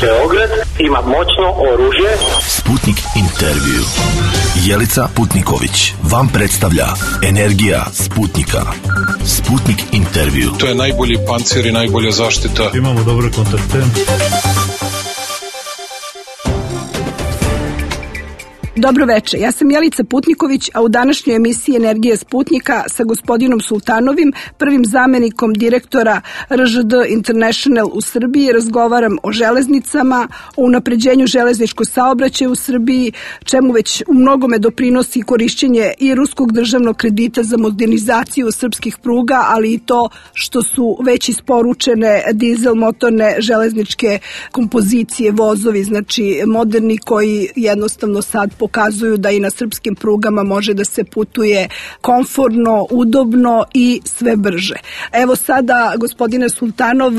Beograd ima moćno oružje. Sputnik intervju. Jelica Putniković vam predstavlja Energija Sputnika. Sputnik intervju. To je najbolji pancir i najbolja zaštita. Imamo dobre kontakte. Dobro večer, ja sam Jelica Putniković, a u današnjoj emisiji Energije Sputnika sa gospodinom Sultanovim, prvim zamenikom direktora RŽD International u Srbiji, razgovaram o železnicama, o unapređenju železničkog saobraćaja u Srbiji, čemu već u mnogome doprinosi korišćenje i ruskog državnog kredita za modernizaciju srpskih pruga, ali i to što su već isporučene dizel motorne železničke kompozicije, vozovi, znači moderni, koji jednostavno sad pokazuju da i na srpskim prugama može da se putuje komfortno, udobno i sve brže. Evo sada, gospodine Sultanov,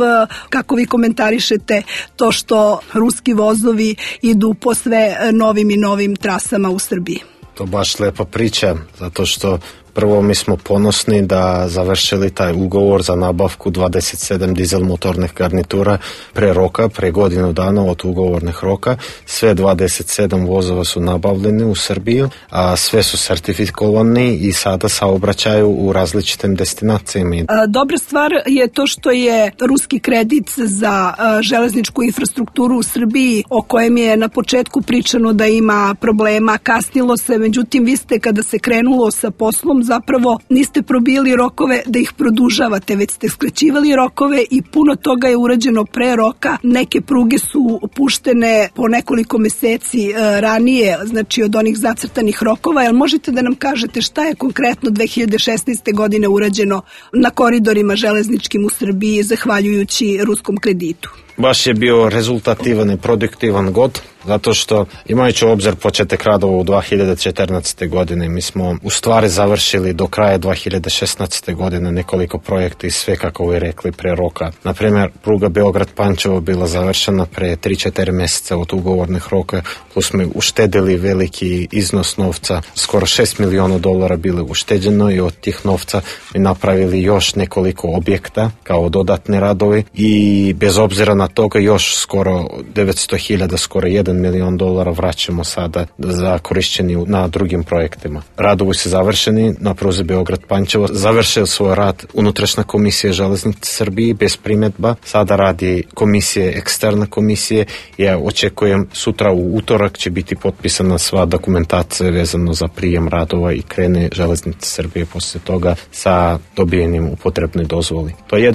kako vi komentarišete to što ruski vozovi idu po sve novim i novim trasama u Srbiji? To baš lepa priča, zato što prvo mi smo ponosni da završili taj ugovor za nabavku 27 dizel motornih garnitura pre roka, pre godinu dana od ugovornih roka. Sve 27 vozova su nabavljeni u Srbiju, a sve su sertifikovani i sada saobraćaju u različitim destinacijama. Dobra stvar je to što je ruski kredit za železničku infrastrukturu u Srbiji, o kojem je na početku pričano da ima problema, kasnilo se, međutim vi ste kada se krenulo sa poslom zapravo niste probili rokove da ih produžavate, već ste skraćivali rokove i puno toga je urađeno pre roka. Neke pruge su puštene po nekoliko meseci ranije, znači od onih zacrtanih rokova. Jel možete da nam kažete šta je konkretno 2016. godine urađeno na koridorima železničkim u Srbiji zahvaljujući ruskom kreditu? Baš je bio rezultativan i produktivan god, zato što imajući u obzir početak radova u 2014. godine, mi smo u stvari završili do kraja 2016. godine nekoliko projekta i sve, kako vi rekli, pre roka. Naprimjer, pruga Beograd-Pančevo bila završena pre 3-4 mjeseca od ugovornih roka, plus smo uštedili veliki iznos novca, skoro $6 miliona bili ušteđeno i od tih novca mi napravili još nekoliko objekta kao dodatni radovi i bez obzira na toga još skoro 900.000, skoro $1 milion vraćamo sada za korišćenje na drugim projektima. Radovi su završeni na pruzi Beograd-Pančevo. Završio svoj rad unutrašnja komisija železnice Srbije bez primjedba. Sada radi komisije, eksterna komisije. Ja očekujem sutra u utorak će biti potpisana sva dokumentacija vezano za prijem radova i krene železnice Srbije poslije toga sa dobijenim upotrebnoj dozvoli. To je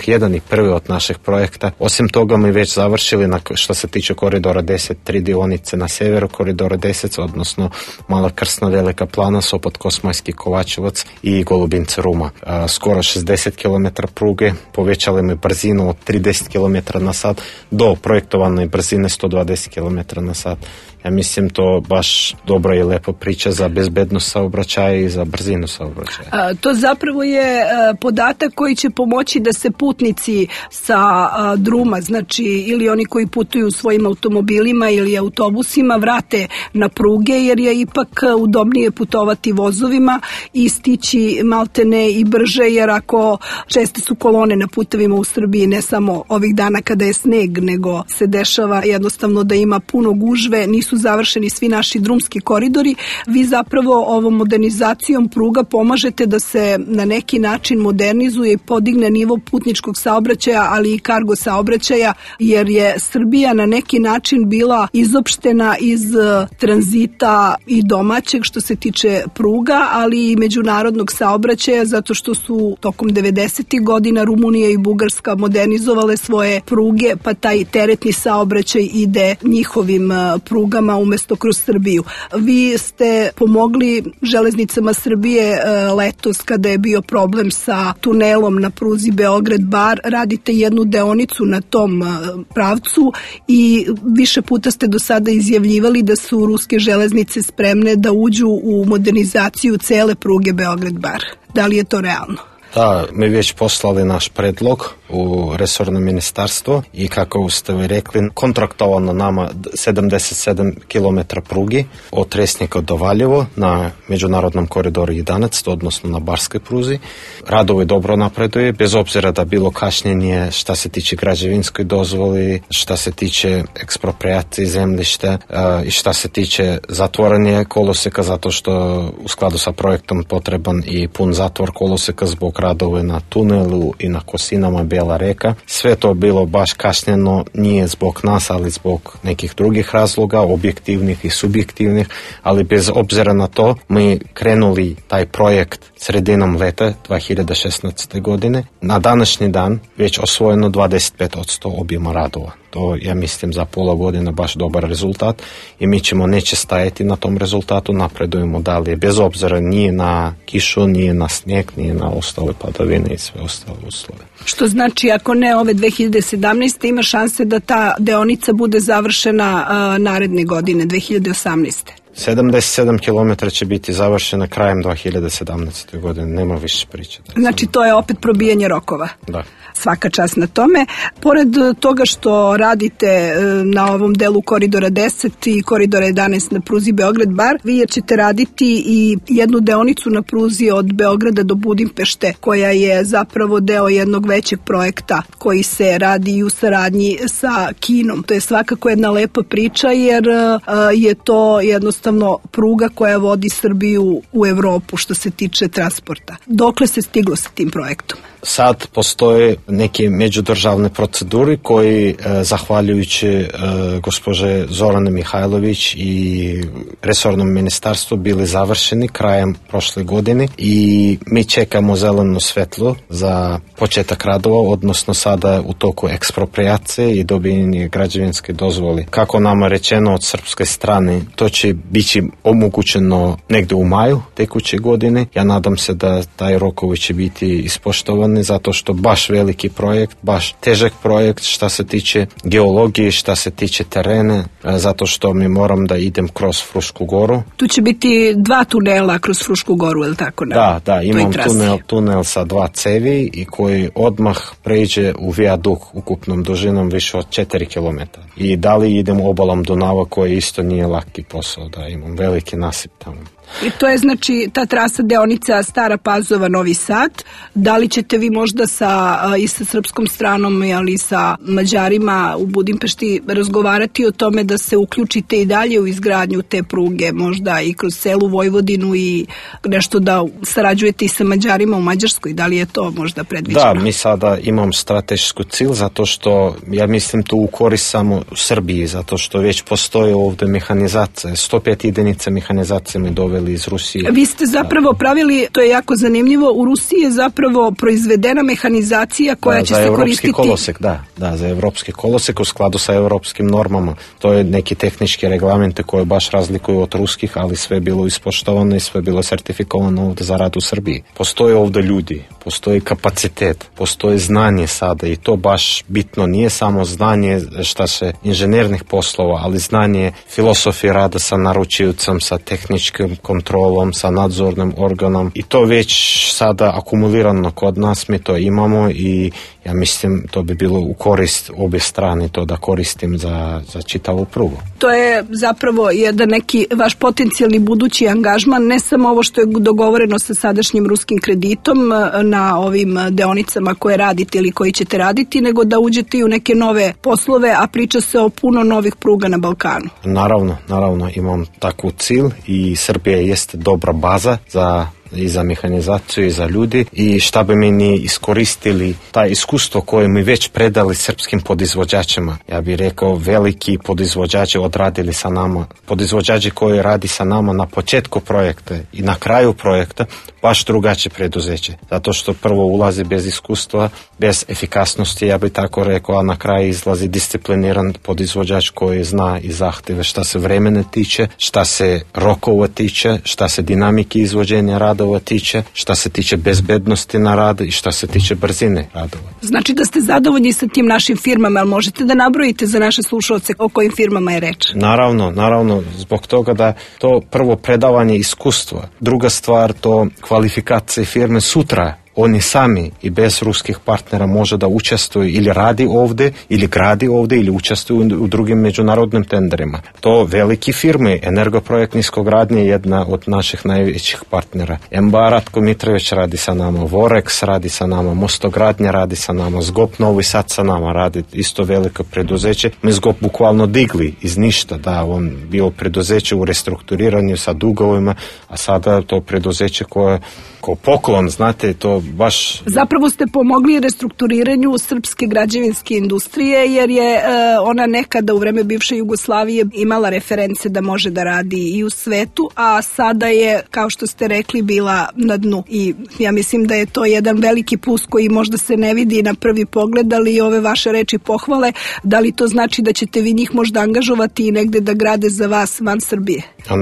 jedan i prvi od naših projekta. Osim toga mi već završili što se tiče koridora 10, 3 dionice na severu koridora 10, odnosno Mala Krsna, Velika Plana, Sopot, Kosmajski, Kovačevac i Golubince, Ruma. Skoro 60 km pruge, povećali mi brzinu od 30 km na sat do projektovane brzine 120 km na sat. Ja mislim to baš dobra i lepa priča za bezbednost saobraćaja i za brzinu saobraćaja. To zapravo je podatak koji će pomoći da se putnici sa druma, znači ili oni koji putuju svojim automobilima ili autobusima, vrate na pruge, jer je ipak udobnije putovati vozovima i stići maltene i brže, jer ako česte su kolone na putevima u Srbiji, ne samo ovih dana kada je sneg, nego se dešava jednostavno da ima puno gužve, nisu završeni svi naši drumski koridori. Vi zapravo ovom modernizacijom pruga pomažete da se na neki način modernizuje i podigne nivo putničkog saobraćaja, ali i kargo saobraćaja, jer je Srbija na neki način bila izopštena iz tranzita i domaćeg što se tiče pruga, ali i međunarodnog saobraćaja, zato što su tokom 90. godina Rumunija i Bugarska modernizovale svoje pruge, pa taj teretni saobraćaj ide njihovim prugama umesto kroz Srbiju. Vi ste pomogli železnicama Srbije letos kada je bio problem sa tunelom na pruzi Beograd-Bar. Radite jednu deonicu na tom pravcu i više puta ste do sada izjavljivali da su ruske železnice spremne da uđu u modernizaciju cele pruge Beograd-Bar. Da li je to realno? Da, mi već poslali naš predlog u resorno ministarstvo i kako ste vi rekli, kontraktovano nama 77 km prugi od Resnika do Valjevo na međunarodnom koridoru 11, odnosno na barskoj pruzi. Radovi dobro napreduje, bez obzira da bilo kašnjenje šta se tiče građevinskoj dozvoli, šta se tiče ekspropriacije zemljišta i šta se tiče zatvoranja koloseka, zato što u skladu sa projektom potreban i pun zatvor koloseka zbog radova na tunelu i na kosinama Bijela reka. Sve to bilo baš kašnjeno, nije zbog nas, ali zbog nekih drugih razloga, objektivnih i subjektivnih, ali bez obzira na to mi krenuli taj projekt sredinom leta 2016. godine. Na današnji dan već osvojeno 25% objema radova. To ja mislim za pola godine baš dobar rezultat i mi ćemo neće stajati na tom rezultatu, napredujemo dalje bez obzira nije na kišu, nije na snijeg, nije na ostale padavine i sve ostale uslove. Što znači ako ne ove 2017. ima šanse da ta deonica bude završena naredne godine, 2018. 77 km će biti završena krajem 2017. godine, nema više priče. Znači to je opet probijanje rokova. Da. Svaka čast na tome. Pored toga što radite na ovom delu koridora 10 i koridora 11 na pruzi Beograd-Bar, vi ćete raditi i jednu deonicu na pruzi od Beograda do Budimpešte, koja je zapravo deo jednog većeg projekta koji se radi i u saradnji sa Kinom. To je svakako jedna lepa priča jer je to jednostavno pruga koja vodi Srbiju u Evropu što se tiče transporta. Dokle se stiglo sa tim projektom? Sad postoje neke međudržavne proceduri koji, zahvaljujući gospođe Zorane Mihajlović i resornom ministarstvu, bili završeni krajem prošle godine i mi čekamo zeleno svetlo za početak radova, odnosno sada u toku ekspropriacije i dobijanje građevinske dozvole. Kako nama rečeno od srpske strane, to će biti omogućeno negdje u maju tekuće godine. Ja nadam se da taj rokovi će biti ispoštovani zato što baš veliki projekt, baš težak projekt šta se tiče geologije, šta se tiče terena, zato što mi moram da idem kroz Frušku goru. Tu će biti 2 tunela kroz Frušku goru, je li tako? Da, imam tunel sa 2 cevi i koji odmah pređe u vijaduk ukupnom dužinom više od 4 km. I dalje idem obalom Dunava koji isto nije laki posao, da imam veliki nasip tamo. I to je znači ta trasa deonica Stara Pazova Novi Sad. Da li ćete vi možda i sa srpskom stranom, ali i sa Mađarima u Budimpešti razgovarati o tome da se uključite i dalje u izgradnju te pruge, možda i kroz celu Vojvodinu i nešto da sarađujete i sa Mađarima u Mađarskoj? Da li je to možda predviđeno? Da, mi sada imam stratešku cilj zato što ja mislim tu u korist samo u Srbiji, zato što već postoje ovdje mehanizacija, 105 jedinica mehanizacije mi doveli iz Rusije. Vi ste zapravo pravili, to je jako zanimljivo, u Rusiji je zapravo proizvedena mehanizacija koja će se koristiti... Kolosek, za evropski kolosek u skladu sa evropskim normama. To je neki tehnički reglamente koje baš razlikuju od ruskih, ali sve je bilo ispoštovano i sve je bilo sertifikovano ovdje za rad u Srbiji. Postoje ovdje ljudi, postoji kapacitet, postoji znanje sada i to baš bitno. Nije samo znanje šta se inženjernih poslova, ali znanje filosofije rada sa naručiocem, sa tehničkim kontrolom, sa nadzornim organom i to već sada akumulirano kod nas, mi to imamo i ja mislim to bi bilo u korist obje strane to da koristim za čitavu prugu. To je zapravo jedan neki vaš potencijalni budući angažman, ne samo ovo što je dogovoreno sa sadašnjim ruskim kreditom na ovim deonicama koje radite ili koji ćete raditi, nego da uđete i u neke nove poslove, a priča se o puno novih pruga na Balkanu. Naravno imam takvu cilj i Srbija jeste dobra baza i za mehanizaciju i za ljudi i šta bi mi ni iskoristili taj iskustvo koje mi već predali srpskim podizvođačima. Ja bih rekao veliki podizvođači odradili sa nama, podizvođači koji radi sa nama na početku projekta i na kraju projekta baš drugačije preduzeće. Zato što prvo ulazi bez iskustva, bez efikasnosti, ja bih tako rekao, a na kraju izlazi discipliniran podizvođač koji zna i zahtjeve šta se vremena tiče, šta se rokova tiče, šta se dinamike izvođenja radova tiče, šta se tiče bezbednosti na radu i šta se tiče brzine radova. Znači da ste zadovoljni sa tim našim firmama, ali možete da nabrojite za naše slušalce o kojim firmama je reč? Naravno, zbog toga da to prvo predavanje iskustva, druga stvar to kvalifikacije firme sutra oni sami i bez ruskih partnera može da učestvuju ili radi ovde, ili gradi ovde, ili učestvuju u drugim međunarodnim tenderima. To veliki firme, Energoprojekt Niskogradnje je jedna od naših najvećih partnera. MBA Ratko Mitrović radi sa nama, Vorex radi sa nama, Mostogradnja radi sa nama, Zgop Novi Sad sa nama radi, isto veliko preduzeće. Mi Zgop bukvalno digli iz ništa, da, on bio preduzeće u restrukturiranju sa dugovima, a sada to preduzeće koje ko poklon, znate, to baš... Zapravo ste pomogli restrukturiranju srpske građevinske industrije, jer je ona nekada u vreme bivše Jugoslavije imala reference da može da radi i u svetu, a sada je, kao što ste rekli, bila na dnu. I ja mislim da je to jedan veliki plus koji možda se ne vidi na prvi pogled, ali ove vaše reči pohvale, da li to znači da ćete vi njih možda angažovati i negde da grade za vas van Srbije? A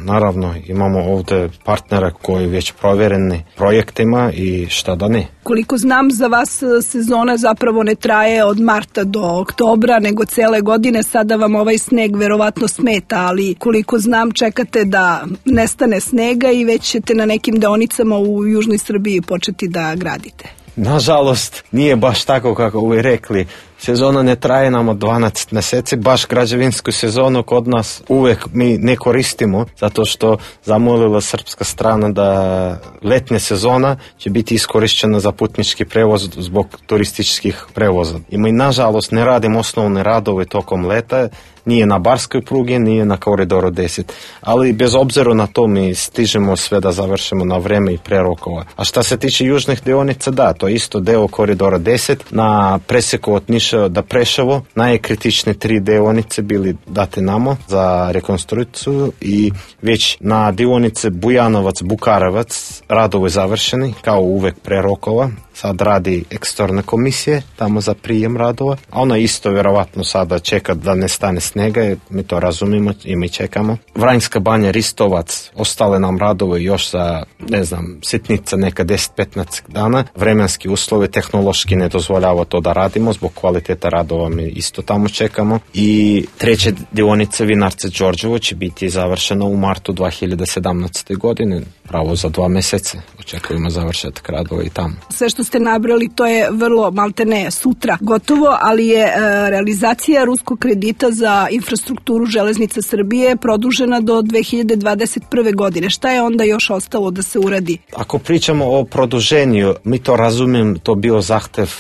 naravno, imamo ovde partnera koji već provjereni projektima i šta da ne. Koliko znam, za vas sezona zapravo ne traje od marta do oktobra, nego cele godine. Sada vam ovaj sneg verovatno smeta, ali koliko znam, čekate da nestane snega i već ćete na nekim deonicama u južnoj Srbiji početi da gradite. Nažalost, nije baš tako kako vi rekli. Sezona ne traje nam od 12 mjeseci, baš građevinsku sezonu kod nas uvek mi ne koristimo, zato što zamolila srpska strana da letnja sezona će biti iskorišćena za putnički prevoz zbog turističkih prevoza. I mi nažalost ne radimo osnovne radove tokom leta, nije na barskoj prugi, nije na koridoru 10. Ali bez obzira na to mi stižemo sve da završimo na vreme i pre rokova. A šta se tiče južnih deonica, da, to je isto deo koridora 10 na preseku od Niša do Preševo. Najkritične 3 deonice bili date namo za rekonstrukciju i već na deonice Bujanovac-Bukarevac radovi završeni, kao uvek pre rokova. Sad radi eksterne komisije tamo za prijem radova, a ona isto vjerovatno sada čeka da ne stane snega, mi to razumimo i mi čekamo. Vranjska banja, Ristovac, ostale nam radove još za, ne znam, sitnica neka 10-15 dana. Vremenski uslovi tehnološki ne dozvoljava to da radimo, zbog kvaliteta radova mi isto tamo čekamo. I treće dionice Vinarce Đorđevo će biti završeno u martu 2017. godine, pravo za 2 mjeseca. Očekujemo završetak radova i tamo. Sve što ste nabrali, to je vrlo maltene sutra gotovo, ali je realizacija ruskog kredita za infrastrukturu železnica Srbije produžena do 2021. godine. Šta je onda još ostalo da se uradi? Ako pričamo o produženju, mi to razumijem, to bio zahtev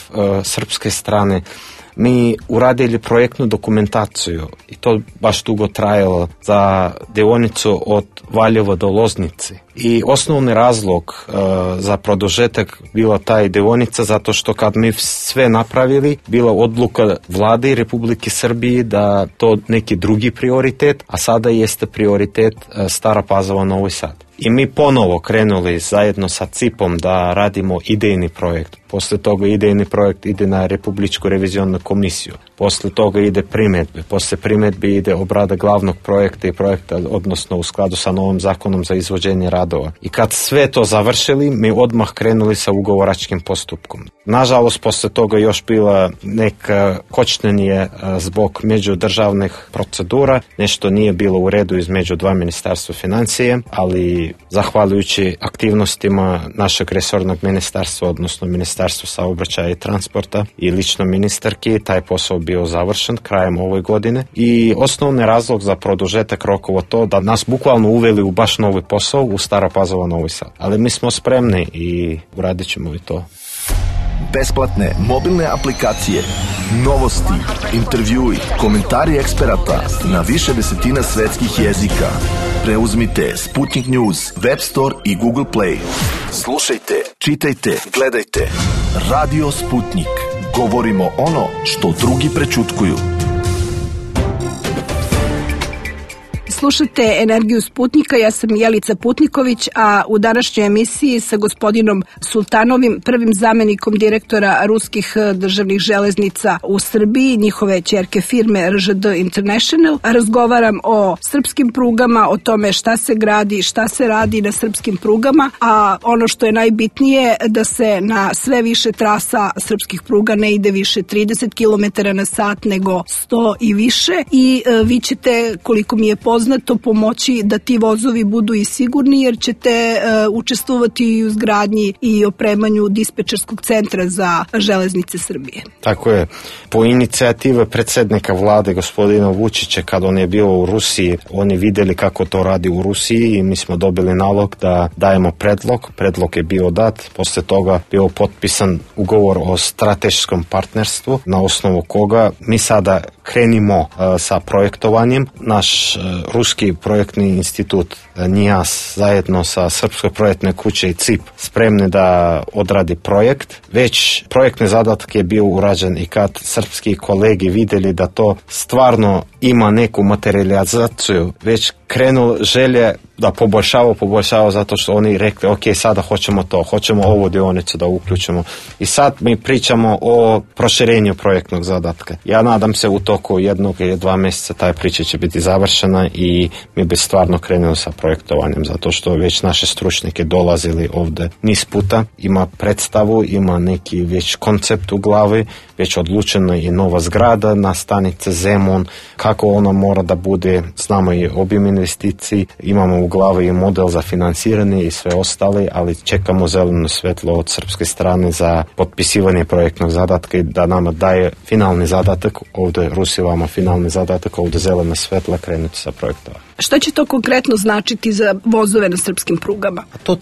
srpske strane. Mi uradili projektnu dokumentaciju i to baš dugo trajalo za deonicu od Valjeva do Loznice. I osnovni razlog za produžetak bila taj deonica zato što kad mi sve napravili, bila odluka vlade Republike Srbije da to neki drugi prioritet, a sada jeste prioritet Stara Pazova Novi Sad. I mi ponovo krenuli zajedno sa CIP-om da radimo idejni projekt. Posle toga idejni projekt ide na Republičku revizionnu komisiju. Posle toga ide primjedbe. Posle primjedbe ide obrada glavnog projekta i projekta, odnosno u skladu sa novim zakonom za izvođenje radova. I kad sve to završili, mi odmah krenuli sa ugovoračkim postupkom. Nažalost, posle toga još bila neka kočnenje zbog međudržavnih procedura. Nešto nije bilo u redu između 2 ministarstva financije, ali zahvaljujući aktivnostima našeg resornog ministarstva, odnosno Ministarstva saobraćaja i transporta i lično ministarki, taj posao bio završen krajem ove godine. I osnovni razlog za produžetak rokova to da nas bukvalno uveli u baš novi posao u Stara Pazova Novi Sad. Ali mi smo spremni i uradit ćemo i to. Besplatne mobilne aplikacije, novosti, intervjui, komentari eksperata na više desetina svetskih jezika. Preuzmite Sputnik News, Web Store i Google Play. Slušajte, čitajte, gledajte. Radio Sputnik. Govorimo ono što drugi prećutkuju. Slušate Energiju Sputnika, ja sam Jelica Putniković, a u današnjoj emisiji sa gospodinom Sultanovim, prvim zamenikom direktora ruskih državnih železnica u Srbiji, njihove ćerke firme RŽD International, razgovaram o srpskim prugama, o tome šta se gradi, šta se radi na srpskim prugama, a ono što je najbitnije da se na sve više trasa srpskih pruga ne ide više 30 km na sat nego 100 i više i vi ćete, koliko mi je poznato, poznato, pomoći da ti vozovi budu i sigurni, jer ćete učestvovati i u izgradnji i opremanju dispečerskog centra za železnice Srbije. Tako je. Po inicijativi predsjednika vlade gospodina Vučića, kad on je bio u Rusiji, oni vidjeli kako to radi u Rusiji i mi smo dobili nalog da dajemo predlog. Predlog je bio dat, poslije toga bio potpisan ugovor o strateškom partnerstvu, na osnovu koga mi sada krenimo sa projektovanjem. Naš ruski projektni institut NIAS zajedno sa Srpskoj projektnoj kuće i CIP spremni da odradi projekt. Već projektni zadatak je bio urađen i kad srpski kolegi vidjeli da to stvarno ima neku materializaciju, već krenuo želje da poboljšava zato što oni rekli ok, sada hoćemo ovu dionicu da uključimo. I sad mi pričamo o proširenju projektnog zadatka. Ja nadam se u toku 1 ili 2 mjeseca taj priča će biti završena i mi bi stvarno krenuli sa projektovanjem, zato što već naše stručnjake dolazili ovdje niz puta, ima predstavu, ima neki već koncept u glavi, već odlučeno i nova zgrada na stanice Zemun, kako ona mora da bude, znamo i obim investiciji, imamo u glavi i model za financiranje i sve ostale, ali čekamo zeleno svetlo od srpske strane za potpisivanje projektnog zadatka i da nama daje finalni zadatak, ovdje Rusi vama finalni zadatak, ovdje zelena svetla krenuti sa projektova. Šta će to konkretno značiti za vozove na srpskim prugama? A to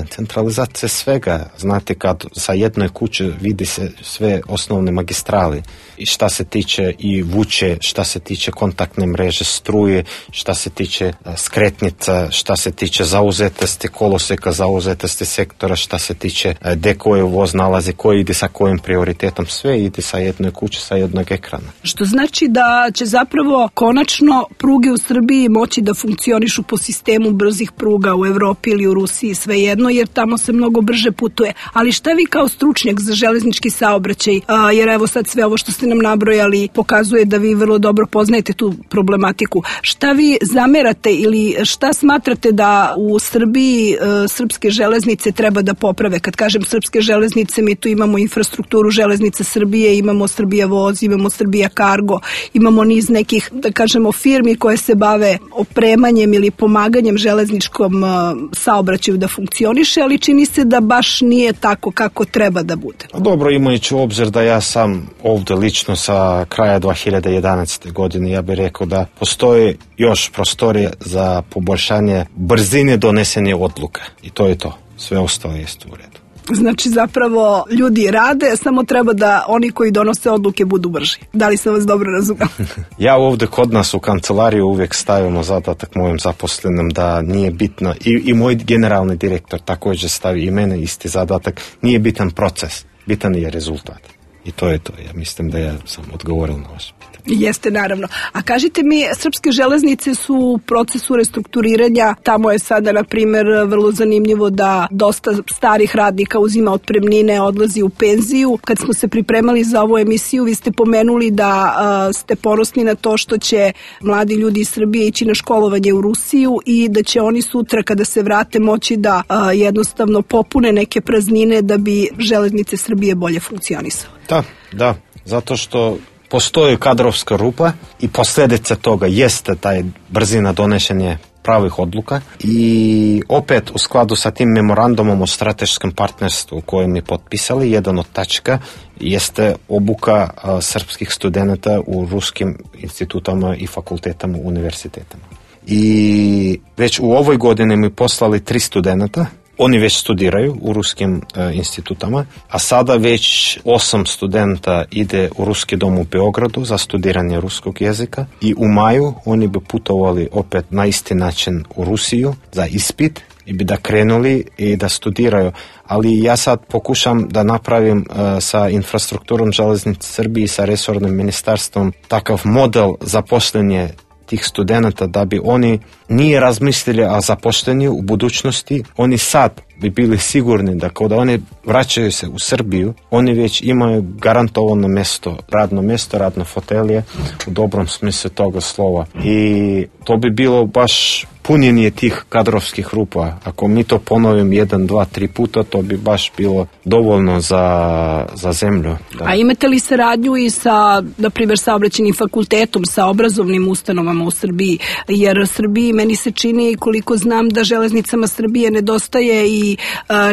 centralizacija svega. Znate, kad sa jednoj kuće vidi se sve osnovne magistrali i šta se tiče i vuče, šta se tiče kontaktne mreže, struje, šta se tiče skretnica, šta se tiče zauzetosti koloseka, zauzetosti sektora, šta se tiče gde koji voz nalazi, koji ide sa kojim prioritetom, sve ide sa jednoj kuće, sa jednog ekrana. Što znači da će zapravo konačno pruge u Srbiji moći da funkcionišu po sistemu brzih pruga u Evropi ili u Rusiji, svejedno, jer tamo se mnogo brže putuje. Ali šta vi kao stručnjak za železnički saobraćaj, jer evo sad sve ovo što ste nam nabrojali pokazuje da vi vrlo dobro poznajete tu problematiku. Šta vi zamerate ili šta smatrate da u Srbiji srpske železnice treba da poprave? Kad kažem srpske železnice, mi tu imamo infrastrukturu železnice Srbije, imamo Srbija voz, imamo Srbija Kargo, imamo niz nekih, da kažemo, firmi koje se bave opremanjem ili pomaganjem železničkom saobraćaju da funkcioniše, ali čini se da baš nije tako kako treba da bude. Dobro, imajući u obzir da ja sam ovdje lično sa kraja 2011. godine, ja bih rekao da postoji još prostorije za poboljšanje brzine donesenja odluka. I to je to. Sve ostalo jest u redu. Znači zapravo ljudi rade, samo treba da oni koji donose odluke budu brži. Da li sam vas dobro razumela? Ja ovdje kod nas u kancelariju uvijek stavimo zadatak mojim zaposlenim da nije bitno, i moj generalni direktor također stavi i mene isti zadatak, nije bitan proces, bitan je rezultat. I to je to. Ja mislim da ja sam odgovoril na vaše pitanje. Jeste, naravno. A kažite mi, srpske železnice su u procesu restrukturiranja. Tamo je sada, na primjer, vrlo zanimljivo da dosta starih radnika uzima otpremnine, odlazi u penziju. Kad smo se pripremali za ovu emisiju, vi ste pomenuli da ste ponosni na to što će mladi ljudi iz Srbije ići na školovanje u Rusiju i da će oni sutra kada se vrate moći da jednostavno popune neke praznine da bi železnice Srbije bolje funkcionisale. Da, zato što postoji kadrovska rupa i posljedica toga jeste taj brzina donošenja pravih odluka i opet u skladu sa tim memorandumom o strateškom partnerstvu koji mi potpisali, jedan od tačka jeste obuka srpskih studenata u ruskim institutama i fakultetama, univerzitetima. I već u ovoj godini mi poslali 3 studenta. Oni već studiraju u ruskim institutama, a sada već 8 studenta ide u Ruski dom u Beogradu za studiranje ruskog jezika i u maju oni bi putovali opet na isti način u Rusiju za ispit i bi da krenuli i da studiraju. Ali ja sad pokušam da napravim sa infrastrukturom železnice Srbije i sa resornim ministarstvom takav model zaposlenja tih studenta da bi oni nije razmislili o zapošljenju u budućnosti, oni sad bi bili sigurni da kada oni vraćaju se u Srbiju, oni već imaju garantovano mjesto, radno fotelje u dobrom smislu toga slova. I to bi bilo baš punjenje tih kadrovskih rupa. Ako mi to ponovim 1, 2, 3 puta, to bi baš bilo dovoljno za zemlju. Da. A imate li saradnju i sa, na primjer, saobraćajnim fakultetom, sa obrazovnim ustanovama u Srbiji? Jer Srbiji, meni se čini, koliko znam, da Železnicama Srbije nedostaje i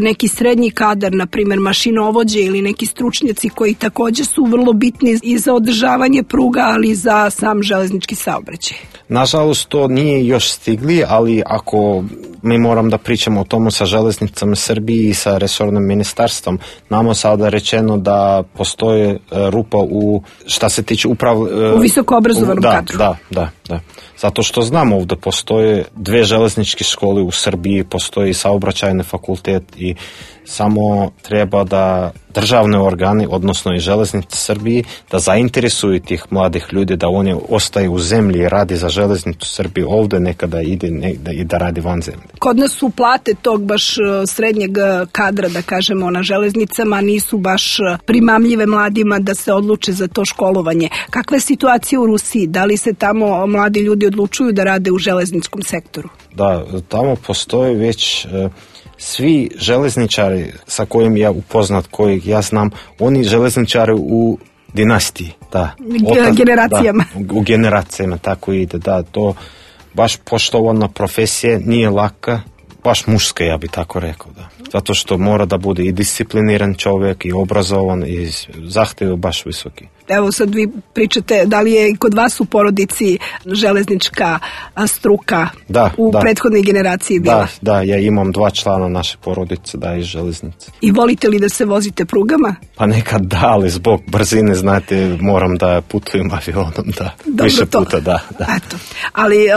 neki srednji kadar, na primjer mašinovođe ili neki stručnjaci koji također su vrlo bitni i za održavanje pruga, ali i za sam železnički saobraćaj. Nažalost, to nije još stigli, ali ako mi moram da pričamo o tomu sa Železnicama Srbije i sa resornim ministarstvom, nama sada rečeno da postoje rupa u, šta se tiče u visoko obrazovanom kadru. Da. Zato što znamo ovdje postoje 2 železničke škole u Srbiji, postoji i saobraćajni fakultet i samo treba da državne organe, odnosno i Železnice Srbije, da zainteresuju tih mladih ljudi, da oni ostaju u zemlji i radi za Železnicu Srbije ovdje, nekada ide i da radi van zemlje. Kod nas su plate tog baš srednjeg kadra, da kažemo, na železnicama nisu baš primamljive mladima da se odluče za to školovanje. Kakva je situacija u Rusiji? Da li se tamo mladi ljudi odlučuju da rade u železničkom sektoru? Da, tamo postoje već svi železničari sa kojim ja upoznat, kojih ja znam, oni železničari u dinastiji, da. Generacijama. Da, u generacijama, tako ide, da, to baš poštovana profesija, nije laka, baš muška, ja bi tako rekao, da. Zato što mora da bude i discipliniran čovjek, i obrazovan, i zahtjevi baš visoki. Evo sad vi pričate, da li je kod vas u porodici železnička struka u prethodnoj generaciji bila? Da, ja imam 2 člana naše porodice, da, iz železnice. I volite li da se vozite prugama? Pa nekad da, ali zbog brzine, znate, moram da putujem avionom, da. Dobro, više puta, da. Eto. Ali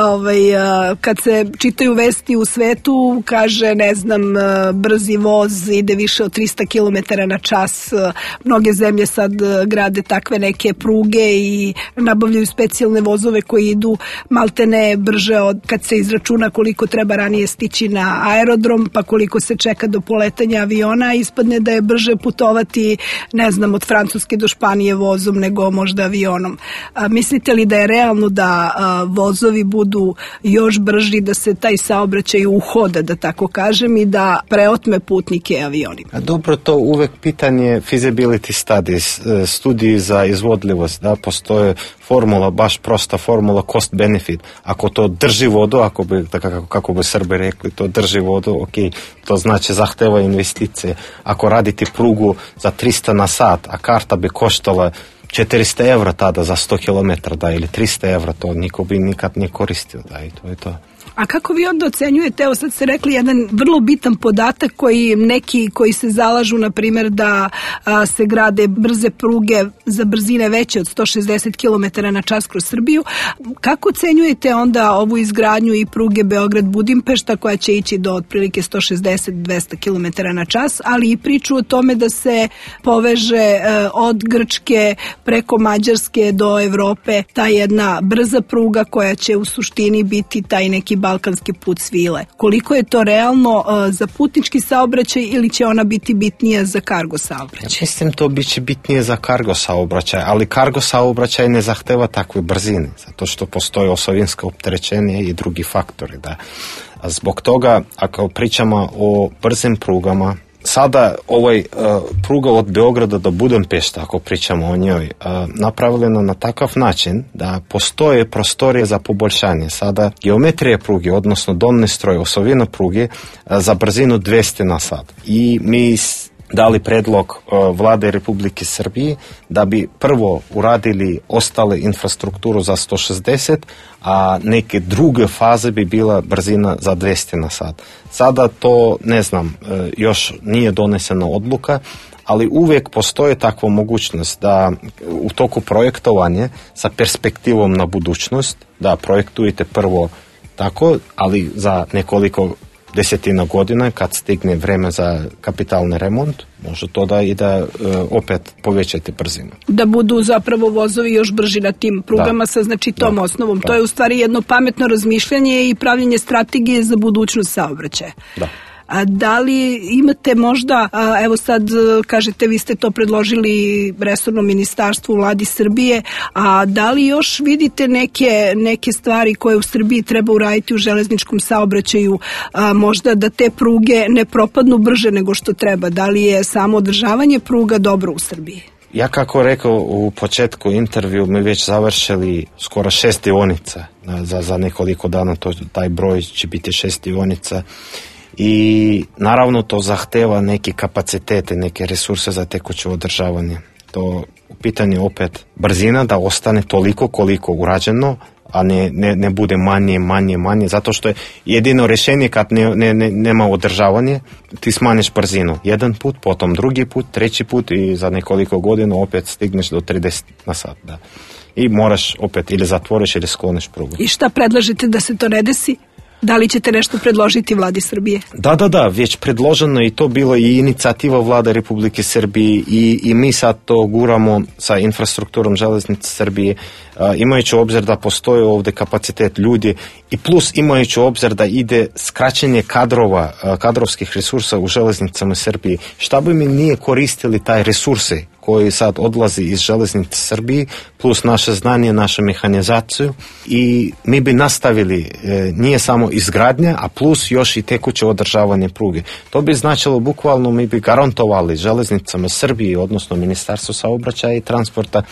kad se čitaju vesti u svetu, kaže, ne znam, brzi voz ide više od 300 km na čas. Mnoge zemlje sad grade takve neke pruge i nabavljaju specijalne vozove koji idu maltene brže od kad se izračuna koliko treba ranije stići na aerodrom, pa koliko se čeka do poletanja aviona, ispadne da je brže putovati, ne znam, od Francuske do Španije vozom nego možda avionom. Mislite li da je realno da vozovi budu još brži, da se taj saobraćaj uhoda, da tako kažem, i da preotme putnike avionima? Dobro, to uvek pitanje feasibility studies, studiji za izvodljivost, da, postoje formula, baš prosta formula cost benefit. Ako to drži vodu, kako bi Srbi rekli, to drži vodu, ok, to znači zahteva investicije. Ako radite prugu za 300 na sat, a karta bi koštala 400 evra tada za 100 km, da, ili 300 evra, to niko bi nikad ne koristio, da, i to je to. A kako vi onda ocenjujete, evo sad ste rekli jedan vrlo bitan podatak koji neki koji se zalažu, na primjer, da se grade brze pruge za brzine veće od 160 km na čas kroz Srbiju. Kako ocenjujete onda ovu izgradnju i pruge Beograd-Budimpešta koja će ići do otprilike 160-200 km na čas, ali i priču o tome da se poveže od Grčke preko Mađarske do Evrope ta jedna brza pruga koja će u suštini biti taj neki balkanski put svile. Koliko je to realno za putnički saobraćaj ili će ona biti bitnija za kargo saobraćaj? Ja mislim to biće bitnije za kargo saobraćaj, ali kargo saobraćaj ne zahteva takve brzine, zato što postoje osovinsko opterećenje i drugi faktori. Da. Zbog toga, ako pričamo o brzim prugama, sada pruga od Beograda do Budimpešta, ako pričamo o njoj, napravljena na takav način da postoje prostorije za poboljšanje. Sada geometrija pruge, odnosno donji stroj, osovina pruge za brzinu 200 na sat. I mi dali predlog vlade Republike Srbije da bi prvo uradili ostale infrastrukturu za 160, a neke druge faze bi bila brzina za 200 na sat. Sada to, ne znam, još nije donesena odluka, ali uvijek postoji takva mogućnost da u toku projektovanja sa perspektivom na budućnost, da projektujete prvo tako, ali za nekoliko desetina godina, kad stigne vreme za kapitalni remont, može to da i da opet povećate brzinu. Da budu zapravo vozovi još brži na tim prugama sa tom osnovom. To je u stvari jedno pametno razmišljanje i pravljenje strategije za budućnost saobraćaja. Da. Da li imate možda, evo sad kažete vi ste to predložili resornom ministarstvu u Vladi Srbije, a da li još vidite neke stvari koje u Srbiji treba uraditi u železničkom saobraćaju, možda da te pruge ne propadnu brže nego što treba? Da li je samo održavanje pruga dobro u Srbiji? Ja kako rekao u početku intervju, mi već završili skoro 6 dionica. Za nekoliko dana taj broj će biti 6 dionica. I naravno to zahteva neke kapacitete, neke resurse za tekuće održavanje. To u pitanju opet brzina da ostane toliko koliko urađeno, a ne bude manje, zato što je jedino rješenje kad nema održavanje, ti smanjiš brzinu. Jedan put, potom drugi put, treći put i za nekoliko godina opet stigneš do 30 na sat. Da. I moraš opet ili zatvoriš ili skloniš prugu. I šta predlažete da se to ne desi? Da li ćete nešto predložiti Vladi Srbije? Da, već predloženo i to bilo i inicijativa Vlade Republike Srbije i mi sad to guramo sa infrastrukturom železnice Srbije, imajući obzir da postoji ovdje kapacitet ljudi i plus imajući obzir da ide skraćenje kadrovskih resursa u železnicama Srbije. Šta bi mi nije koristili taj resurse koji sad odlazi iz železnice Srbije, plus naše znanje, našu mehanizaciju i mi bi nastavili, nije samo izgradnja, a plus još i tekuće održavanje pruge. To bi značilo bukvalno mi bi garantovali železnicama Srbije, odnosno Ministarstvo saobraćaja i transporta,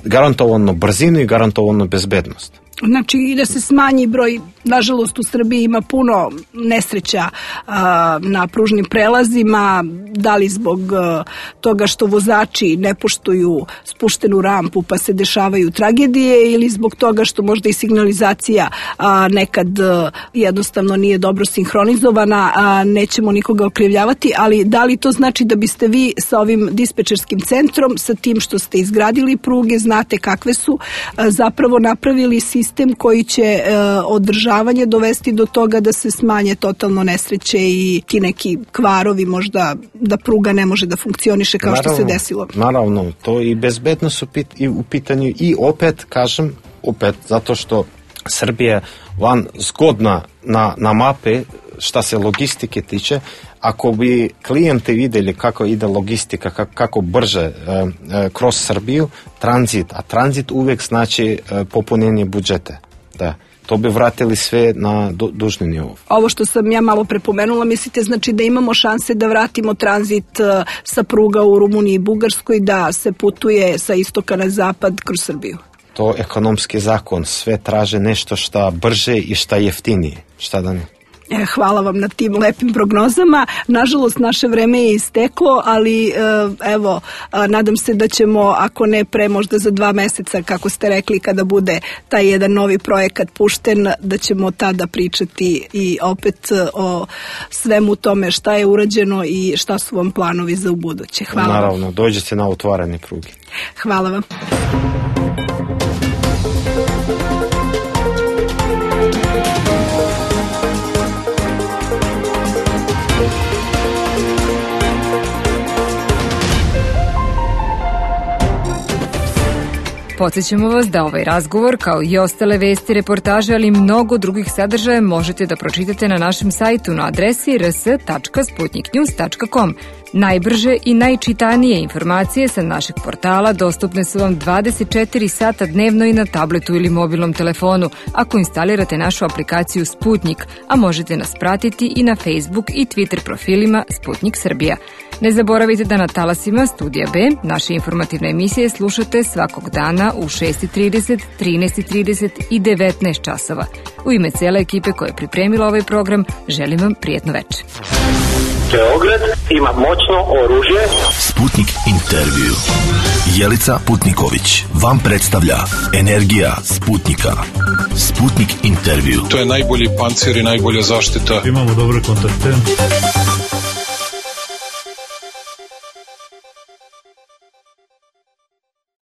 garantovano brzinu i garantovano bezbednost. Znači i da se smanji broj, nažalost u Srbiji ima puno nesreća na pružnim prelazima, da li zbog toga što vozači ne poštuju spuštenu rampu pa se dešavaju tragedije ili zbog toga što možda i signalizacija nekad jednostavno nije dobro sinhronizovana, nećemo nikoga okrivljavati, ali da li to znači da biste vi sa ovim dispečerskim centrom, sa tim što ste izgradili pruge, znate kakve su, zapravo napravili sistem koji će održavanje dovesti do toga da se smanje totalno nesreće i ti neki kvarovi, možda da pruga ne može da funkcioniše kao što se desilo. Naravno, to i bezbednost u pitanju i opet, kažem, zato što Srbija van zgodna na mape šta se logistike tiče, ako bi klijenti vidjeli kako ide logistika, kako brže kroz Srbiju, a tranzit uvijek znači popunjenje budžeta. Da. To bi vratili sve na dužni nivo. Ovo što sam ja malo prepomenula, mislite znači da imamo šanse da vratimo tranzit sa pruga u Rumuniji i Bugarskoj, da se putuje sa istoka na zapad kroz Srbiju? To je ekonomski zakon, sve traže nešto šta brže i šta jeftinije. Šta da ne? Hvala vam na tim lepim prognozama. Nažalost, naše vreme je isteklo, ali evo, nadam se da ćemo, ako ne pre, možda za 2 meseca, kako ste rekli, kada bude taj jedan novi projekat pušten, da ćemo tada pričati i opet o svemu tome šta je urađeno i šta su vam planovi za ubuduće. Hvala. Naravno, dođete na otvaranje pruge. Hvala vam. Podsjećamo vas da ovaj razgovor, kao i ostale vesti, reportaže, ali i mnogo drugih sadržaja možete da pročitate na našem sajtu na adresi rs.sputniknews.com. Najbrže i najčitanije informacije sa našeg portala dostupne su vam 24 sata dnevno i na tabletu ili mobilnom telefonu ako instalirate našu aplikaciju Sputnik, a možete nas pratiti i na Facebook i Twitter profilima Sputnik Srbija. Ne zaboravite da na talasima Studija B naše informativne emisije slušate svakog dana u 6:30, 13:30 i 19 časova. U ime cele ekipe koja je pripremila ovaj program, želim vam prijetno večer. Beograd ima moćno oružje. Sputnik intervju. Jelica Putniković vam predstavlja Energija Sputnika. Sputnik intervju. To je najbolji pancir i najbolja zaštita. Imamo dobre kontakte.